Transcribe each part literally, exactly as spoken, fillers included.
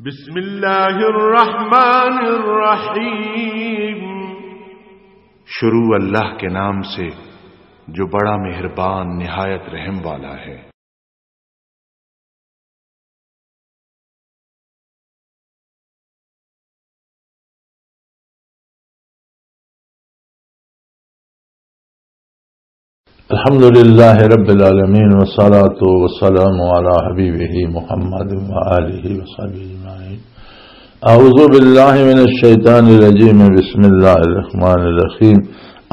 بسم اللہ الرحمن الرحیم۔ شروع اللہ کے نام سے، جو بڑا مہربان، نہایت رحم والا ہے۔ الحمد لله رب العالمين، والصلاة والسلام على حبيبه محمد وآله وصحبه أجمعين. أعوذ بالله من الشيطان الرجيم. بسم الله الرحمن الرحيم.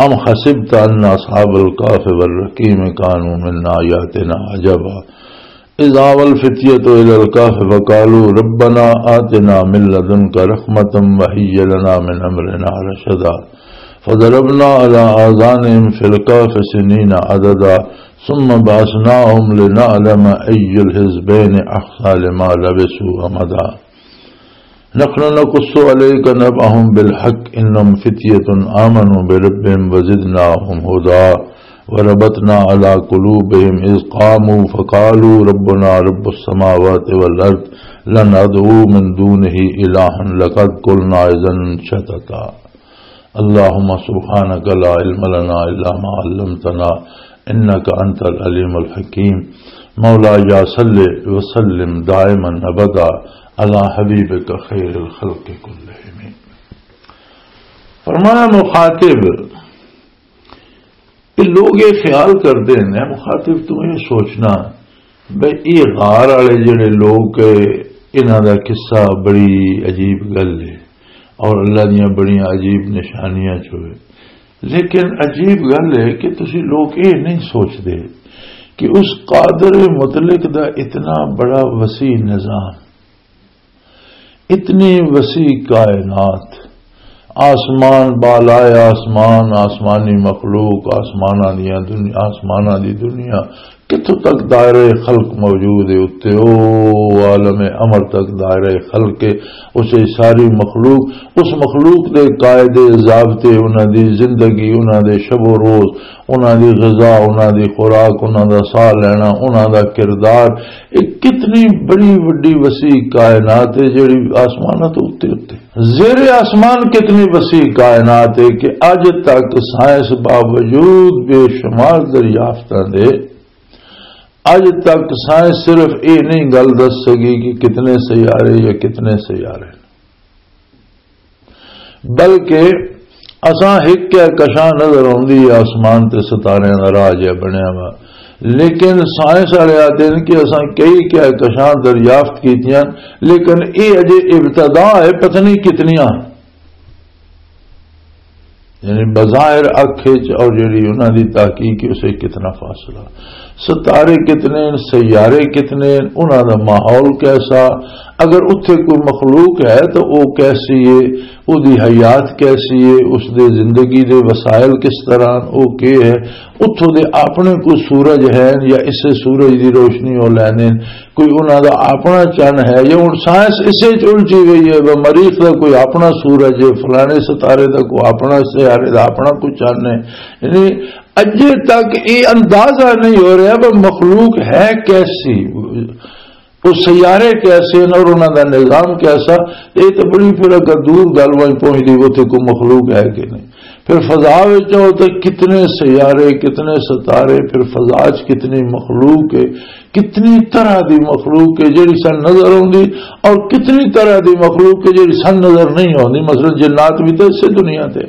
أم حسبت أن أصحاب الكهف والرقيم كانوا من آياتنا عجبا. إذ آوى الفتية إلى الكهف فقالوا ربنا آتنا من لدنك رحمة وهيئ لنا من أمرنا رشدا. فضربنا على آذانهم في الكهف سنين عددا ثم بعثناهم لنعلم أي الحزبين أحصى لما لبثوا أمدا. نحن نقص عليك نبأهم بالحق إنهم فتية آمنوا بربهم وزدناهم هدى وربطنا على قلوبهم إذ قاموا فقالوا ربنا رب السماوات والأرض لن ندعو من دونه إلها لقد قلنا إذا شططا. اللهم سبحانك لا علم لنا إلا ما علمتنا إنك أنت العليم الحكيم. مولاي صل وسلم دائما أبدا على حبيبك خير الخلق كلهم. فرمایا مخاطب، کہ لوگ یہ خیال کرتے ہیں، مخاطب تو یہ سوچنا بھئی یہ غار والے جڑے لوگ، انہاں دا قصہ بڑی عجیب گل ہے اور اللہ دیاں بڑیاں عجیب نشانیاں چ ہوئے۔ لیکن عجیب گل ہے کہ تسی لوگ یہ نہیں سوچتے کہ اس قادر مطلق دا اتنا بڑا وسیع نظام، اتنی وسیع کائنات، آسمان بالائے آسمان، آسمانی مخلوق، آسماناں دیاں دنیا، آسماناں دی دنیا، کتھوں تک دائرہ خلق موجود ہے، اتے او عالم امر تک دائرہ خلق ہے۔ اسے ساری مخلوق، اس مخلوق دے قاعدے، ضابطے، انہاں دی زندگی، انہاں دے شب و روز، انہاں دی غذا، انہاں دی خوراک، انہاں دا ساہ لینا، انہاں دا کردار، ایک کتنی بڑی وڈی وسیع کائنات ہے جڑی آسماناں تو اتے اتے۔ زیر آسمان کتنی وسیع کائنات ہے کہ اج تک سائنس باوجود بے شمار دریافتاں دے اج تک سائنس صرف یہ نہیں گل دس سکی کہ کتنے سیارے یا کتنے سیارے، بلکہ اساں ایک کہکشاں نظر آندی ہے آسمان تے ستاریاں دا راہ جہا بنیا وا، لیکن سائنس والے آتے ہیں کہ اساں کئی کہکشاں دریافت کیتیاں، لیکن یہ اجے ابتدا ہے، پتہ نہیں کتنیاں۔ یعنی بظاہر اکھ وچ اور جڑی انہاں دی تحقیق ہے، اسے کتنا فاصلہ۔ ستارے کتنے ہیں، سیارے کتنے ہیں، انہاں دا ماحول کیسا، اگر اتھے کوئی مخلوق ہے تو وہ کیسی ہے، وہ دی حیات کیسی ہے، اس دے زندگی دے وسائل کس طرح ہیں، وہ کی ہے، اتھوں دے اپنے کوئی سورج ہیں یا اسے سورج دی روشنی ہو لینے، کوئی انہاں دا اپنا چن ہے یا ہن سائنس اسے چ الجھی گئی ہے، وہ مریخ دا کوئی اپنا سورج ہے، فلانے ستارے دا کوئی اپنا، سیارے دا اپنا کوئی چن ہے۔ یعنی اجے تک یہ اندازہ نہیں ہو رہا وہ مخلوق ہے کیسی، وہ سیارے کیسے ہیں اور انہاں دا نظام کیسا۔ یہ تو بڑی پھر اگر دور گل وائیں پہنچ دی، وہ تے کوئی مخلوق ہے کہ نہیں۔ پھر فضا وچ آؤ تے کتنے سیارے، کتنے ستارے، پھر فضا وچ کتنی مخلوق ہے، کتنی طرح دی مخلوق ہے جڑی سن نظر آوندی، اور کتنی طرح دی مخلوق ہے جڑی سن نظر نہیں آوندی۔ مثلاً جنات بھی تے اسے دنیا تے،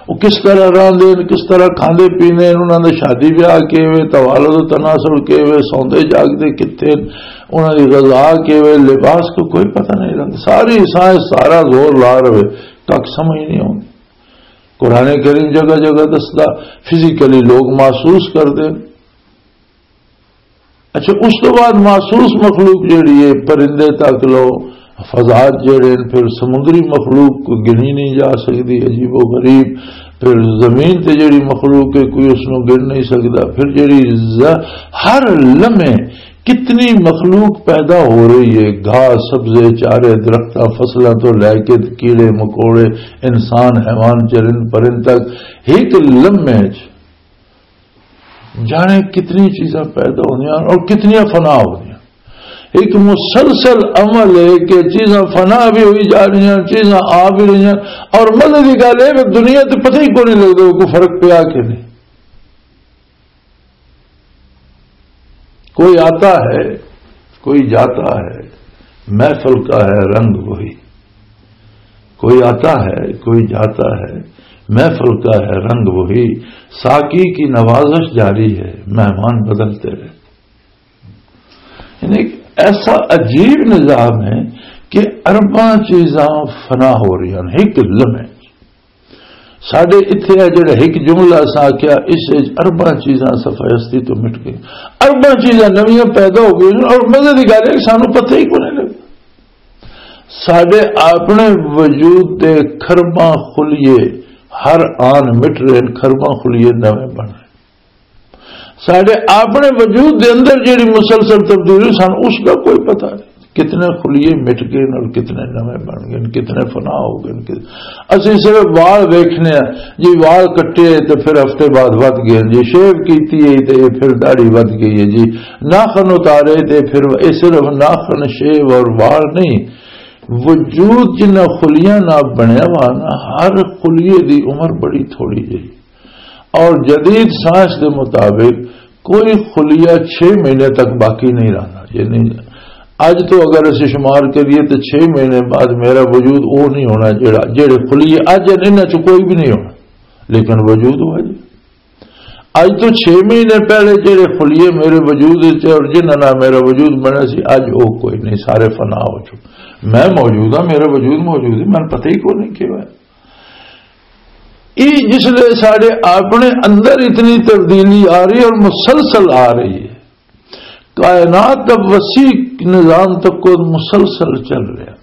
وہ کس طرح رہندے ہیں، کس طرح کھاندے پیندے ہیں، انہاں دا شادی بیاہ کیویں، توالد و تناسل کیویں، سوندے جاگدے کتھے ہیں، انہاں دی غذا کیویں، لباس کو کوئی پتہ نہیں لگدا۔ ساری سائنس سارا زور لا رہے، کک سمجھ نہیں آوندی۔ قرآن کریم جگہ جگہ دسدا، فزیکلی لوگ محسوس کردے۔ اچھا، اس تو بعد محسوس مخلوق جڑی ہے، پرندے تک لو، فضات جڑے ہیں، پھر سمندری مخلوق کو گنی نہیں جا سکتی، عجیب و غریب۔ پھر زمین تے جڑی مخلوق ہے، کوئی اس نو گن نہیں سکتا۔ پھر جڑی ز-، ہر لمحے کتنی مخلوق پیدا ہو رہی ہے، گھاس، سبزے، چارے، درختاں، فصلاں تو لے کے کیڑے مکوڑے، انسان، حیوان، چرند پرند تک، ایک لمحے چ جانے کتنی چیزاں پیدا ہوندیاں اور کتنیاں فنا ہوندیاں۔ ایک مسلسل عمل ہے کہ چیزاں فنا بھی ہوئی جا رہی ہیں، چیزاں آ بھی رہی ہیں، اور مزے کی گل ہے کہ دنیا تو پتہ ہی کوئی نہیں لگتا کوئی فرق پیا کہ نہیں۔ کوئی آتا ہے، کوئی جاتا ہے، محفل کا ہے رنگ وہی۔ کوئی آتا ہے، کوئی جاتا ہے، محفل کا ہے رنگ وہی۔ ساقی کی نوازش جاری ہے، مہمان بدلتے رہتے۔ یعنی ایک ایسا عجیب نظام ہے کہ ارباں چیزاں فنا ہو رہی ہیں ایک لمحے۔ ساڈے اتھے آ جڑا ایک جملہ اساں آکھیا، اس وچ ارباں چیزاں صفحہ ہستی تو مٹ گئیں، ارباں چیزاں نویاں پیدا ہو گئیاں، اور مزے دی گل ہے کہ سانوں پتہ ہی کوئی نہیں لگا۔ ساڈے اپنے وجود دے کھرباں خلیے ہر آن مٹ رہے ہیں، کھرباں خلیے نویں بن رہے ہیں۔ ساڈے اپنے وجود دے اندر جیڑی مسلسل تبدیلی، سانوں اس دا کوئی پتہ نہیں۔ کتنے خلیے مٹ گئے اور کتنے نویں بن گئے، کتنے فنا ہو گئے۔ کت-، اسی صرف وال ویکھنے ہیں جی، وال کٹے تے پھر ہفتے بعد ودھ گئے جی، شیو کیتی ہے تے یہ پھر داڑھی ودھ گئی ہے جی، ناخن اتارے تے پھر یہ صرف ناخن، شیو اور وال نہیں، وجود جنہ خلیاں نال بنیا ہوا نا، ہر خلیے دی عمر بڑی تھوڑی جہی۔ اور جدید سائنس دے مطابق کوئی خلیہ چھ مہینے تک باقی نہیں رہنا۔ یعنی اج تو اگر اسی شمار کریے تو چھ مہینے بعد میرا وجود وہ نہیں ہونا جڑا، جڑے خلیے اج ہیں، انہاں چ کوئی بھی نہیں ہونا، لیکن وجود ہوا جی۔ اج تو چھ مہینے پہلے جڑے خلیے میرے وجود وچ اور جنہاں نال میرا وجود بنیا سی، اج وہ کوئی نہیں، سارے فنا ہو چکے۔ میں موجود ہاں، میرا وجود موجود ہے، مینوں پتہ ہی کوئی نہیں کیوں ہے۔ یہ جس لئے ساڈے اپنے اندر اتنی تبدیلی آ رہی ہے اور مسلسل آ رہی ہے، کائنات دا وسیع نظام تک مسلسل چل رہا،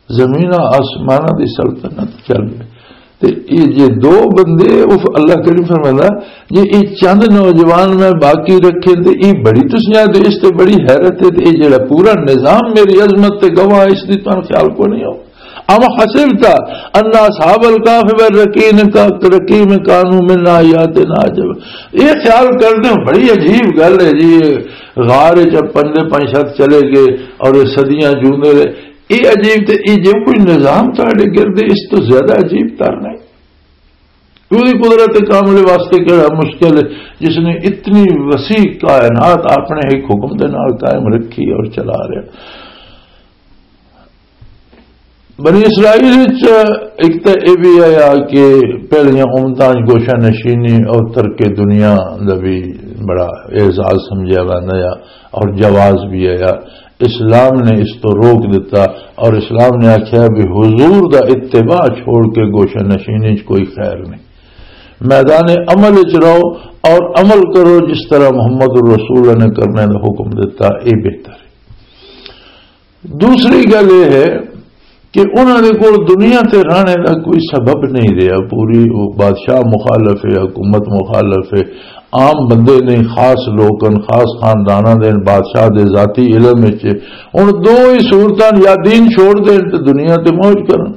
زمین آسماناں دی سلطنت چل رہی۔ تے یہ جے دو بندے، اف، اللہ کریم فرمائندا، جے یہ چند نوجوان میں باقی رکھے تے یہ بڑی تسیاں دے اس تے بڑی حیرت ہے، تے یہ جڑا پورا نظام میری عظمت تے گواہ، اس دی تانوں خیال کو نہیں ہو؟ ام حسبت ان اصحاب الکهف والرقیم کا، رقیم کانوا من آیاتنا عجبا۔ یہ خیال کردے ہو، بڑی عجیب گل ہے جی، یہ غار وچ پندے پنج شخص چلے گئے اور یہ صدیاں جیوندے رہے۔ یہ عجیب تے یہ جو کوئی نظام تہاڈے گرد ہے، اس تو زیادہ عجیب تر نہیں۔ اوہدی قدرت کاملے واسطے کہڑا مشکل ہے، جس نے اتنی وسیع کائنات اپنے ایک حکم دے نال قائم رکھی اور چلا رہا۔ بنی اسرائیل وچ ایک تے اے بھی آیا کہ پہلیاں امتاں وچ گوشہ نشینی اور ترک دنیا دا بھی بڑا اعزاز سمجھیا ویندا آ اور جواز بھی آیا۔ اسلام نے اس تو روک دیتا اور اسلام نے آکھیا بھی حضور دا اتباع چھوڑ کے گوشہ نشینی وچ کوئی خیر نہیں۔ میدان عمل وچ رہو اور عمل کرو جس طرح محمد الرسول نے کرنے دا حکم دیتا، اے بہتر ہے۔ دوسری گل یہ ہے کہ انہاں دے کول دنیا تے رہنے دا کوئی سبب نہیں رہیا۔ پوری وہ بادشاہ مخالف ہے، حکومت مخالف ہے، عام بندے نہیں، خاص لوگ ہن، خاص خانداناں دے ہن، بادشاہ دے ذاتی علم وچ ہے۔ ہن دو ہی صورتاں، یا دین چھوڑ دین تے دنیا تے موج کرن،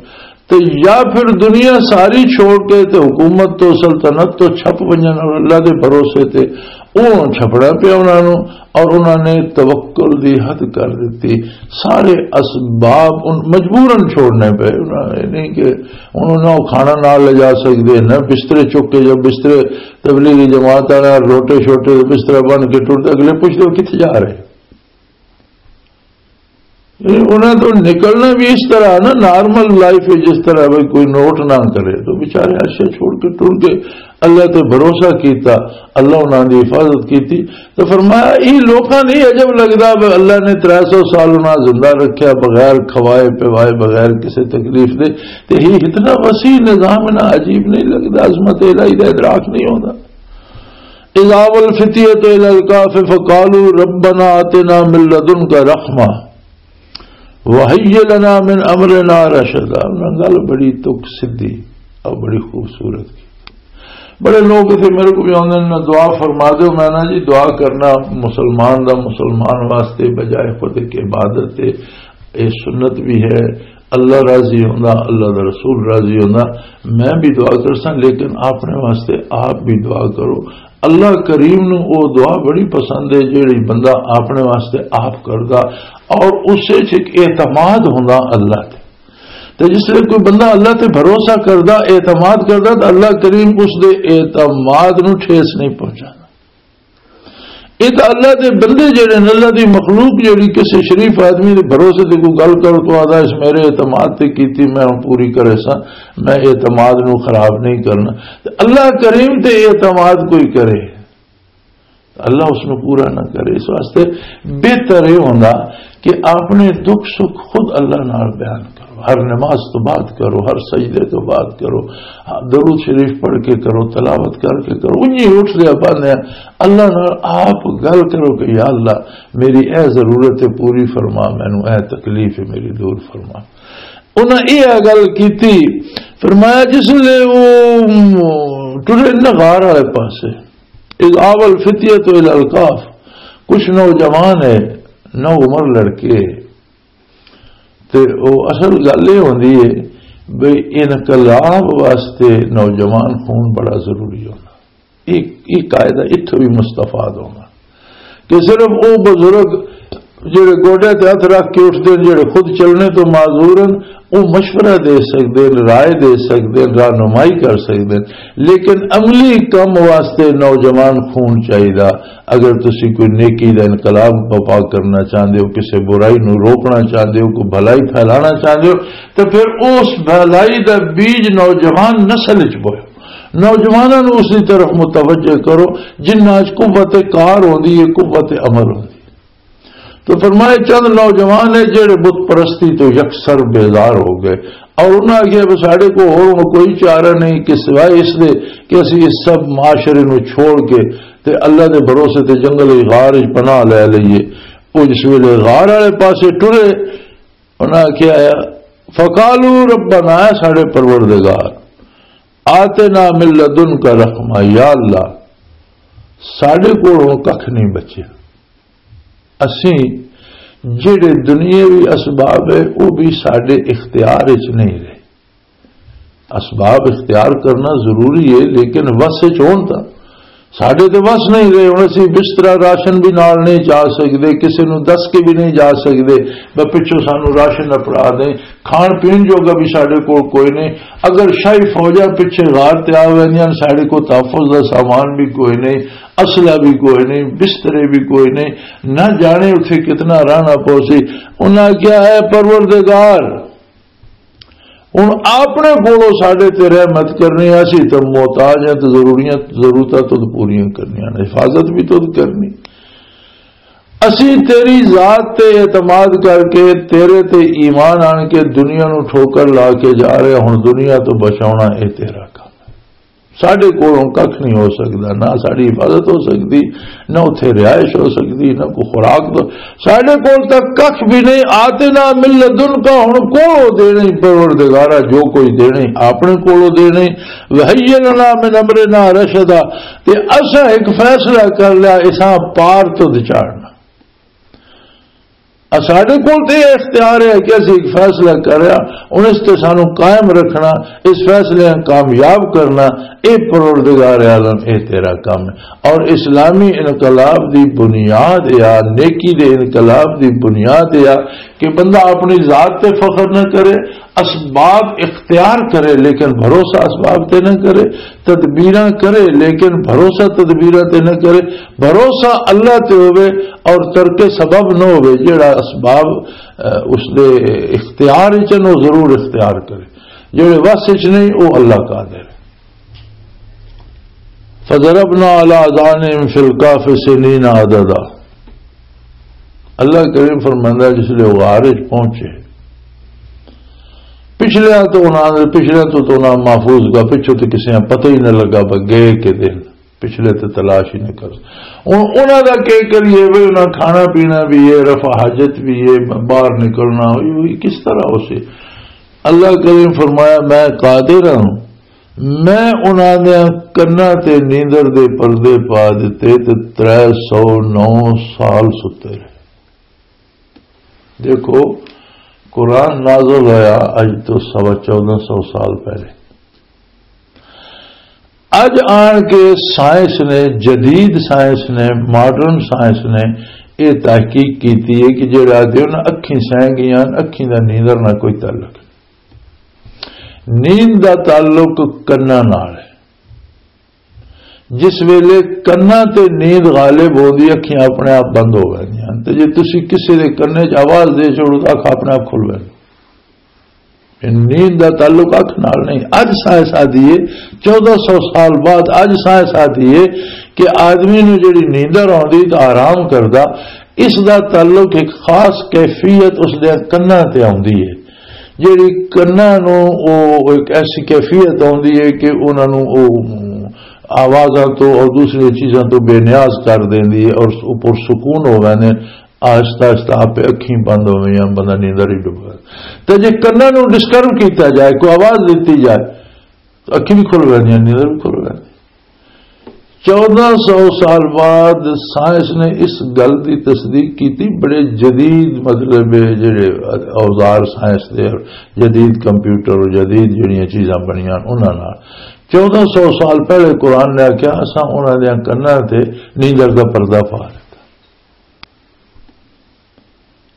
تے یا پھر دنیا ساری چھوڑ کے تے حکومت تو، سلطنت تو چھپ ونجن اور اللہ دے بھروسے تے، او چھپنا پیا انہاں نوں، اور انہاں نے توکل دی حد کر دتی۔ سارے اسباب ان مجبوراً چھوڑنے پے، انہاں نے نہیں کہ انہاں نہ کھانا نال لے جا سکدے، نہ بسترے چک کے، جو بسترے تبلیغی جماعت والا روٹے شوٹے بسترا بن کے ٹرتے، اگلے پوچھتے ہو کتھے جا رہے؟ یعنی انہاں تو نکلنا بھی اس طرح نا، نارمل لائف ہے، جس طرح بھائی کوئی نوٹ نہ کرے، تو بیچارے عرشہ چھوڑ کے ٹر گئے، اللہ تے بھروسہ کیتا، اللہ انہاں دی حفاظت کیتی۔ تو فرمایا، یہ لوکاں نہیں عجب لگدا بھی اللہ نے ترے سو سال انہاں زندہ رکھیا بغیر کھوائے پوائے، بغیر کسی تکلیف دے، تے یہ اتنا وسیع نظام انہاں عجیب نہیں لگدا، عظمت الہی دا ادراک نہیں ہوندا؟ اذا والفتیۃ الی الکہف فقالوا ربنا آتنا من لدنک رحمہ وہی لنا من امرنا رشدا۔ انہاں گل بڑی تک سدھی اور بڑی خوبصورت کی۔ بڑے لوگ اتنے میرے کو بھی آندے نے، "دعا فرما دو۔" میں نا جی، دعا کرنا مسلمان دا مسلمان واسطے بجائے خود ایک عبادت ہے، یہ سنت بھی ہے، اللہ راضی ہوندا، اللہ دا رسول راضی ہوندا۔ میں بھی دعا کرساں، لیکن اپنے واسطے آپ بھی دعا کرو۔ اللہ کریم نو او دعا بڑی پسند ہے، جیڑی بندہ اپنے واسطے آپ کردا اور اس وچ ایک اعتماد ہوندا اللہ تے۔ تے جس لئے کوئی بندہ اللہ تے بھروسہ کردا، اعتماد کردا، تو اللہ کریم اس دے اعتماد نو ٹھیس نہیں پہنچانا۔ یہ تو اللہ دے بندے جڑے نے، اللہ دی مخلوق جڑی کسی شریف آدمی دے بھروسے تے کوئی گل کر تو آدھا، "اس میرے اعتماد تے کیتی، میں ہن پوری کرے ساں، میں اعتماد نو خراب نہیں کرنا۔" تے اللہ کریم تے اعتماد کوئی کرے، اللہ اس نو پورا نہ کرے۔ اس واسطے بہتر یہ ہوندا کہ اپنے دکھ سکھ خود اللہ نال بیان کرو، ہر نماز تو بعد کرو، ہر سجدے تو بعد کرو، درود شریف پڑھ کے کرو، تلاوت کر کے کرو۔ انہی اٹھ دیا پاندے اللہ نال آپ گل کرو کہ یا اللہ، میری اے ضرورت ہے پوری فرما، مینوں اے تکلیف ہے میری دور فرما۔ انہاں یہ گل کیتی، فرمایا جس لے وہ ٹرے نہ غار والے پاسے، اذ آوى الفتية إلى الكهف، کچھ نوجوان ہے، نو عمر لڑکے، تے او اصل گل یہ ہوندی ہے بھئی انقلاب واسطے نوجوان خون بڑا ضروری ہونا۔ یہ یہ قاعدہ اتھوں بھی مستفاد ہونا کہ صرف او بزرگ جڑے گوڈے تے ہاتھ رکھ کے اٹھدے نے، جڑے خود چلنے تو معذور ہیں، او مشورہ دے سکدے نے، رائے دے سکدے نے، رہنمائی کر سکدے نے، لیکن عملی کم واسطے نوجوان خون چاہیدا۔ اگر تسی کوئی نیکی دا انقلاب بپا کرنا چاہندے ہو، کسے برائی نو روکنا چاہندے ہو، کوئی بھلائی پھیلانا چاہندے ہو، تو پھر اس بھلائی دا بیج نوجوان نسل وچ بوئے۔ نوجواناں نوں اس دی طرف متوجہ کرو، جنہاں وچ قوت کار ہوندی ہے، قوت عمل ہوندی ہے۔ تو فرمایا، چند نوجوان ہے جڑے بت پرستی تو یکسر بیزار ہو گئے اور انہاں آکھیا، "بس ساڈے کو ہور ہن کوئی چارہ نہیں کہ سوائے اس دے کہ اسی اس سب معاشرے نوں چھوڑ کے تے اللہ دے بھروسے تے جنگل وچ غار وچ پناہ لے لئیے۔" او جس ویلے غار والے پاسے ٹرے، انہاں آکھیا، "فقالوا ربنا"، اے ساڈے پروردگار، "آتنا من لدنک رحمہ"، یا اللہ، ساڈے کول ہن ککھ نہیں بچیا۔ اسیں جڑے دنیاوی اسباب ہے، وہ بھی ساڈے اختیار وچ نہیں رہے۔ اسباب اختیار کرنا ضروری ہے، لیکن وس وچ ہون تاں۔ ساڈے تے وس نہیں رہے، ہن اسی بسترا راشن بھی نال نہیں جا سکدے، کسے نوں دس کے بھی نہیں جا سکدے، بس پچھوں سانوں راشن اپڑا دیں، کھان پین جوگا بھی ساڈے کول کوئی نہیں۔ اگر شاہی فوجاں پچھے غار تے آ ویندیاں، ساڈے کول تحفظ دا سامان بھی کوئی نہیں، اسلحہ بھی کوئی نہیں، بسترے بھی کوئی نہیں، نہ جانے اتھے کتنا رہنا پوسی۔ انہاں کیا ہے، پروردگار، ہن اپنے کولوں ساڈے تے رحمت کرنی، اسی تے محتاج ہیں تے ضروریاں، ضرورتاں تو پوریاں کرنیاں نے، حفاظت بھی تو کرنی۔ اسی تیری ذات تے اعتماد کر کے، تیرے تے ایمان آن کے دنیا نو ٹھوکر لا کے جا رہے ہاں، ہن دنیا تو بچاونا اے تیرا کم ہے۔ ساڈے کولوں ککھ نہیں ہو سکدا، نہ ساڈی حفاظت ہو سکدی، نہ اتھے رہائش ہو سکدی، نہ کوئی خوراک تو۔ ساڈے کول تک ککھ بھی نہیں۔ آتنا من لدنک، ہن کولوں دینے پروردگارا، جو کوئی دینے اپنے کولوں دینے۔ وہی لنا من امرنا رشدا، تے اساں ایک فیصلہ کر لیا، اساں پار تو چاڑنا۔ ساڈے کول تے یہ اختیار ہے کہ اسی ایک فیصلہ کر رہا، ہن اس تے سانو قائم رکھنا، اس فیصلے نوں کامیاب کرنا، اے پروردگار عالم، اے تیرا کام ہے۔ اور اسلامی انقلاب دی بنیاد یا نیکی دے انقلاب دی بنیاد یا کہ بندہ اپنی ذات تے فخر نہ کرے، اسباب اختیار کرے لیکن بھروسہ اسباب تے نہ کرے، تدبیراں کرے لیکن بھروسہ تدبیراں تے نہ کرے، بھروسہ اللہ تے ہوے اور ترک سبب نہ ہوے۔ جڑا اسباب، اہ، اس دے اختیار وچ نو ضرور اختیار کرے، جڑے وس وچ نہیں، او اللہ قادر ہے۔ فضربنا علی آذانہم فی الکہف سنین عددا۔ اللہ کریم فرماندا ہے، جس لے غار وچ پہنچے، پچھلے تو انہاں نے، پچھلے تو، تو انہاں محفوظ کا، پچھوں تو کسے پتہ ہی نہ لگا، بس گئے کے دن، پچھلے تو تلاش ہی نہ کر۔ ہن انہاں دا کی کریے؟ وے انہاں کھانا پینا بھی ہے، رفع حاجت بھی ہے، باہر نکلنا ہوئی، ہوئی کس طرح ہو سی؟ اللہ کریم فرمایا، میں قادر ہوں، میں انہاں دے کناں تے نیندر دے پردے پا دتے تے ترے سو نو سال ستے رہے۔ دیکھو، قرآن نازل ہویا اج تو سوا چودہ سو سال پہلے۔ اج آن کے سائنس نے، جدید سائنس نے، ماڈرن سائنس نے یہ تحقیق کیتی ہے کہ جڑا آدھے انہاں اکھیں سہ گئیاں، اکھیں دا نیندر نہ کوئی تعلق۔ نیند دا تعلق کناں نال ہے۔ جس ویلے کناں تے نیند غالب ہوندی، اکھیں اپنے آپ بند ہو ویندیاں۔ تے جے تسی کسے دے کنے چ آواز دے چھوڑو تاں اکھ اپنے آپ کھل ویندی۔ نیند دا تعلق اکھ نال نہیں۔ اج سائنس آدھی ہے، چودہ سو سال بعد اج سائنس آدھی ہے کہ آدمی نو جڑی نیندر آندی تے آرام کردا، اس دا تعلق ایک خاص کیفیت اس دے کناں تے آندی ہے۔ جڑی کناں نو او ایک ایسی کیفیت آندی ہے کہ انہاں نو او آوازاں تو اور دوسری چیزاں تو بے نیاز کر دیندی ہے اور پرسکون ہو ویندے۔ آہستہ آہستہ آپ اکھیں بند ہو گئیاں، بندہ نیندر ہی ڈوب گیا۔ تے جے کناں نوں ڈسٹرب کیتا جائے، کوئی آواز دتی جائے، تو اکھیں بھی کھل ویندیاں، نیندر بھی کھل ویندی۔ چودہ سو سال بعد سائنس نے اس گل دی تصدیق کیتی، بڑے جدید، مطلب، جڑے اوزار سائنس دے، جدید کمپیوٹر اور جدید جڑیاں چیزاں بنیاں انہاں نال۔ چودہ سو سال پہلے قرآن نے آکھیا، اساں انہاں دیاں کناں تے نیندر دا پردہ پا دتا۔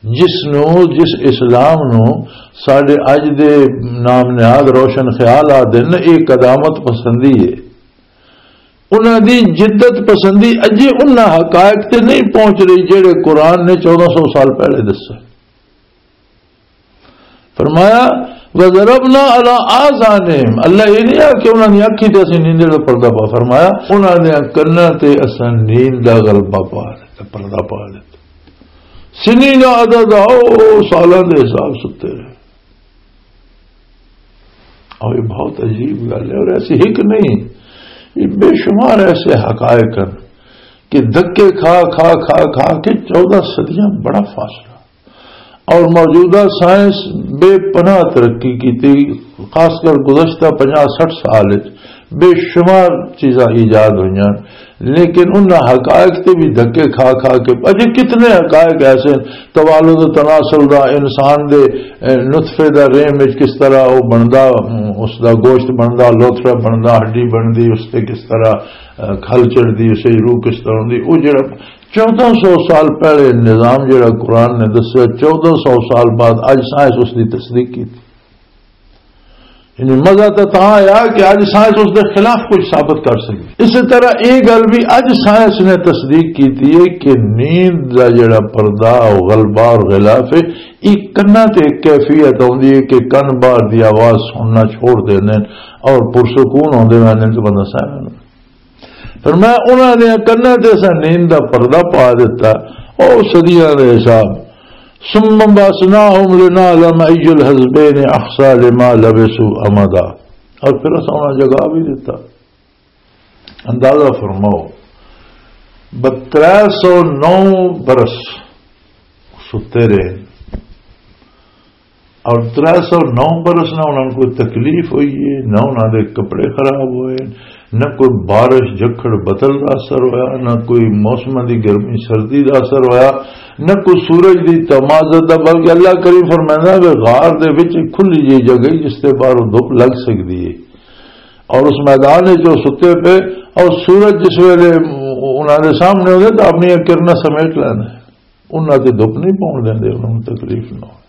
جس نو، جس اسلام نو ساڈے اج دے نام نہاد روشن خیال آ دن، یہ قدامت پسندی ہے۔ انہاں دی جدت پسندی اجے انہاں حقائق تے نہیں پہنچ رہی جڑے قرآن نے چودہ سو سال پہلے دسے۔ فرمایا، "وَضَرَبْنَا عَلَىٰ آذَانِهِمْ۔" اللہ یہ نہیں آ کہ انہاں دی اکھیں تے اسیں نیندے دا پردہ پا، فرمایا، انہاں دے کناں تے اساں نیند دا غلبہ پا دتا، پردہ پا دتا۔ سنین عددا، او سالاں دے حساب ستے رہے۔ اور یہ بہت عجیب گل ہے، اور ایسی ہک نہیں، یہ بے شمار ایسے حقائق ہیں کہ دھکے کھا، کھا، کھا، کھا کے چودہ صدیاں بڑا فاصلہ۔ اور موجودہ سائنس بے پناہ ترقی کی تھی، خاص کر گزشتہ پنجاہ سٹھ سال وچ بے شمار چیزاں ایجاد ہوئیاں، لیکن انہاں حقائق تے بھی دھکے کھا کھا کے، اجے کتنے حقائق ایسے ہیں، توالد و تناسل دا، انسان دے، اے، نطفے دا رحم وچ کس طرح وہ بندا، اس دا گوشت بندا، لوتھڑا بندا، ہڈی بندی، اس تے کس طرح، اے، کھل چڑھدی، اسے روح کس طرح ہوندی، وہ جڑا چودہ سو سال پہلے نظام جڑا قرآن نے دسیا، چودہ سو سال بعد اج سائنس اس دی تصدیق کی۔ یعنی مزہ تو تاں آیا کہ اج سائنس اس دے خلاف کچھ ثابت کر سکی۔ اسی طرح یہ گل بھی اج سائنس نے تصدیق کی ہے کہ نیند دا جڑا پردہ، غلبہ اور غلاف ہے، یہ کناں تے ایک کیفیت آندی ہے کہ کن باہر دی آواز سننا چھوڑ دیندے نے اور پرسکون ہوندے رہندے نے، تو بندہ سہ رہندا۔ فرمایا، انہاں دے کناں تے اساں نیند دا پردہ پا دتا۔ او صدیاں دے حساب۔ ثم بعثناهم لنعلم أي الحزبين أحصى لما لبثوا أمدا۔ اور پھر اساں انہاں جگہ بھی دتا۔ اندازہ فرماؤ، ترے سو نو برس ستے رہے۔ اور ترے سو نو برس نہ انہاں نوں کوئی تکلیف ہوئی ہے، نہ انہاں دے کپڑے خراب ہوئے، نہ کوئی بارش جھکھڑ بتل دا اثر ہویا، نہ کوئی موسم دی گرمی سردی دا اثر ہویا، نہ کوئی سورج دی تمازت دا، بلکہ اللہ کریم فرمائندا ہے کہ غار دے وچ ایک کھلی جئی جگہ ہے جس تے باہروں دھوپ لگ سکدی ہے، اور اس میدان وچ جو ستے پے اور سورج جس ویلے انہاں دے سامنے ہوندے تو اپنی کرناں سمیٹ لینا ہے۔ انہاں تے دھوپ نہیں پاؤن دیندے، انہاں نوں تکلیف نہ ہو۔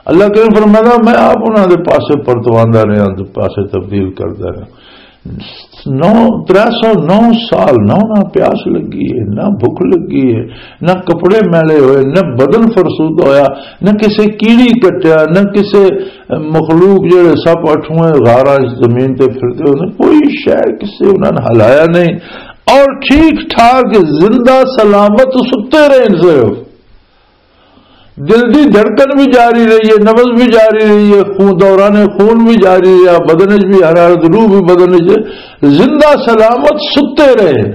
اللہ کریم فرمایا، میں آپ انہاں دے پاسے پرتواندا رہیا، دے پاسے تبدیل کردا رہیا۔ نو، ترے سو نو سال نہ انہاں پیاس لگی ہے، نہ بھوک لگی ہے، نہ کپڑے میلے ہوئے، نہ بدن فرسود ہویا، نہ کسے کیڑی کٹیا، نہ کسے مخلوق جڑے سب اٹھویں غاراں وچ زمین تے پھردے ہوندے، کوئی شے کسے انہاں نے ہلایا نہیں، اور ٹھیک ٹھاک زندہ سلامت ستے رہے صرف۔ دل دی دھڑکن بھی جاری رہی ہے، نبض بھی جاری رہی ہے، خون، دوران خون بھی جاری رہا، بدن وچ بھی حرارت، روح بھی بدن وچ، زندہ سلامت ستے رہے۔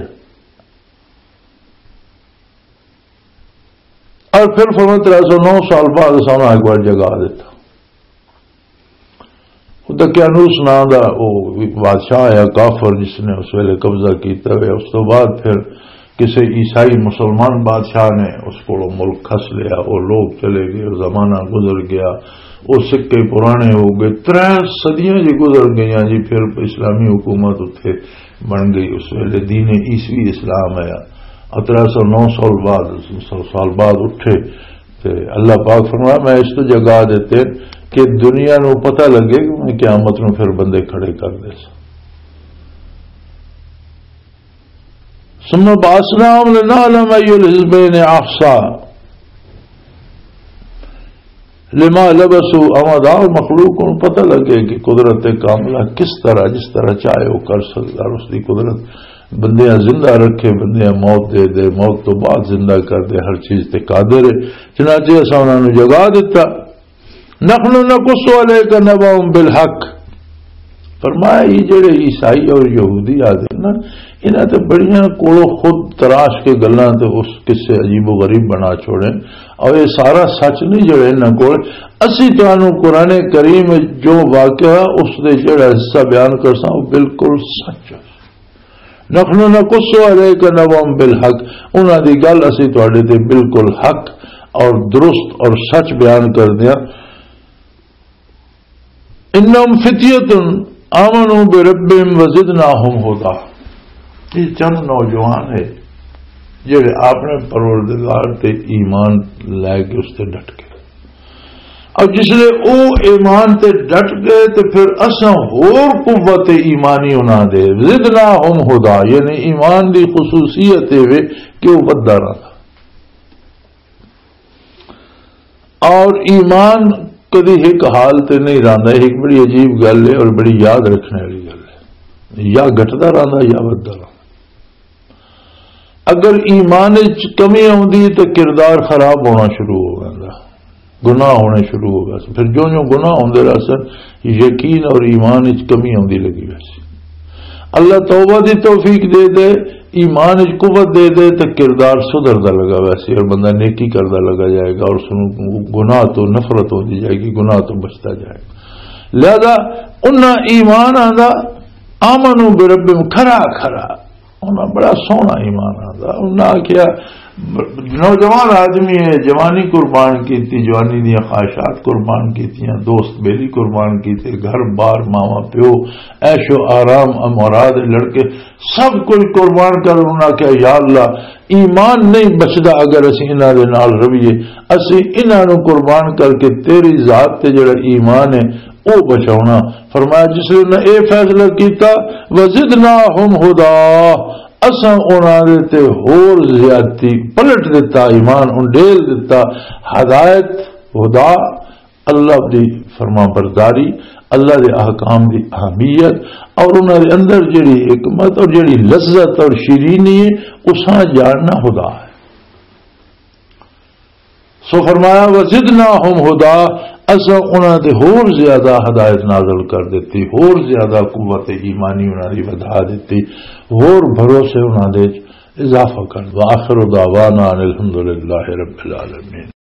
اور پھر فرمایا، ترے سو نو سال بعد اساں انہاں ایک بار جگا دیتا۔ دقیانوس ناں دا او بادشاہ آیا کافر، جس نے اس ویلے قبضہ کیتا ہویا۔ اس تو بعد پھر کسے عیسائی مسلمان بادشاہ نے اس کولوں ملک کھس لیا، او لوگ چلے گئے، زمانہ گزر گیا، وہ سکے پرانے ہو گئے، ترے صدیاں جی گزر گئیاں جی، پھر اسلامی حکومت اتھے بن گئی۔ اس ویلے دین عیسوی اسلام آیا، اور ترے سو نو سال بعد، سو سال بعد اٹھے۔ تے اللہ پاک فرمایا، میں اس تو جگا دیتے کہ دنیا نو پتہ لگے کہ میں قیامت نو پھر بندے کھڑے کر دے سا۔ ثم بعثناهم لنعلم أي الحزبين أحصى لما لبثوا أمدا۔ اور مخلوق کو پتہ لگے کہ قدرت کاملہ کس طرح، جس طرح چاہے وہ کر سکتا، اور اس کی قدرت بندیاں زندہ رکھے، بندیاں موت دے دے، موت تو بعد زندہ کر دے، ہر چیز تے قادر ہے۔ چنانچہ اساں انہاں نوں جگا دتا۔ نحن نقص عليك نبأهم بالحق۔ فرمایا، یہ جڑے عیسائی اور یہودی آدھے نا، انہاں تے بڑیاں کولوں خود تراش کے گلاں تے اس قصے عجیب و غریب بنا چھوڑے، اور یہ سارا سچ نہیں جڑے انہاں کول۔ اسی تانوں قرآن کریم وچ جو واقعہ اس دے جڑا حصہ بیان کرساں، وہ بالکل سچ ہے۔ نحن نقص عليك نبأهم بالحق، انہاں دی گل اسی تواڈے تے بالکل حق اور درست اور سچ بیان کر دیاں۔ انہم فتیۃ آمنوا بربہم وزدناہم ہدی۔ یہ چند نوجوان ہے جڑے اپنے پروردگار تے ایمان لے کے اس تے ڈٹ گئے۔ اور جس لے او ایمان تے ڈٹ گئے تے پھر اساں ہور قوت ایمانی انہاں دے، زدناہم ہدی، یعنی ایمان دی خصوصیت اے وے کہ او ودھدا رہندا۔ اور ایمان کدی ایک حال تے نہیں رہندا، ایک بڑی عجیب گل ہے اور بڑی یاد رکھنے والی گل ہے۔ یا گھٹدا رہندا یا ودھدا رہندا۔ اگر ایمان وچ کمی آوندی ہے تو کردار خراب ہونا شروع ہو جاندا، گناہ ہونے شروع ہو گئے۔ پھر جو جو گناہ ہوندے رہسن، یقین اور ایمان وچ کمی آوندی لگی ویسی۔ اللہ توبہ دی توفیق دے دے، ایمان وچ قوت دے دے تو کردار سدھردا لگا ویسی اور بندہ نیکی کردا لگا جائے گا اور اس نوں گناہ تو نفرت ہوندی جائے گی، گناہ تو بچدا جائے گا۔ لہذا انہاں ایمان آندا، آمنوا بربہم، کھرا کھرا انہاں بڑا سوہنا ایمان آندا۔ انہاں آکھیا، نوجوان آدمی ہے، جوانی قربان کیتی، جوانی دیاں خواہشات قربان کیتیاں، دوست بیلی قربان کیتے، گھر بار، ماواں پیو، عیش و آرام، امورا دے لڑکے، سب کچھ قربان کر۔ انہاں آکھیا، یا اللہ، ایمان نہیں بچدا اگر اسی انہاں دے نال رویے، اسی انہاں نو قربان کر کے تیری ذات تے جڑا ایمان ہے او بچاونا۔ فرمایا، جس نے اے فیصلہ کیتا، وزدناہم ہدا، اساں انہاں دے تے ہور زیادتی پلٹ دتا، ایمان انڈیل دتا۔ ہدایت، ہدا، اللہ دی فرمان برداری، اللہ دے احکام دی اہمیت اور انہاں دے اندر جڑی حکمت اور جڑی لذت اور شیرینی ہے، اساں جاننا ہدا ہے۔ سو فرمایا، وزدناہم ہدا، اساں انہاں تے ہور زیادہ ہدایت نازل کر دتی، ہور زیادہ قوت ایمانی انہاں دی ودھا دتی، ہور بھروسے انہاں دے اضافہ کر۔ وآخر دعوانا ان الحمدللہ رب العالمین۔